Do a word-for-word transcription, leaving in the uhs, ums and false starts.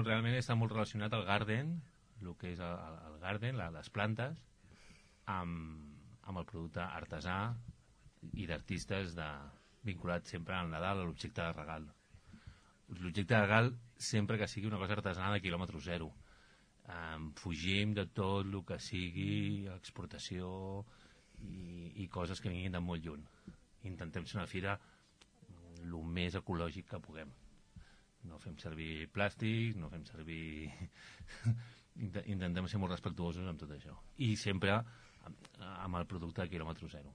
realment està molt relacionat al garden, el que és el, el garden, la, les plantes, amb, amb el producte artesà i d'artistes de, vinculat sempre al Nadal, a l'objecte de regal. L'objecte de regal sempre que sigui una cosa artesana de quilòmetre zero. Um, fugim de tot el que sigui exportació i, i coses que vinguin de molt lluny. Intentem ser una fira el més ecològic que puguem. No fem servir plàstics, no fem servir... Intentem ser molt respectuosos amb tot això. I sempre amb el producte de quilòmetre zero.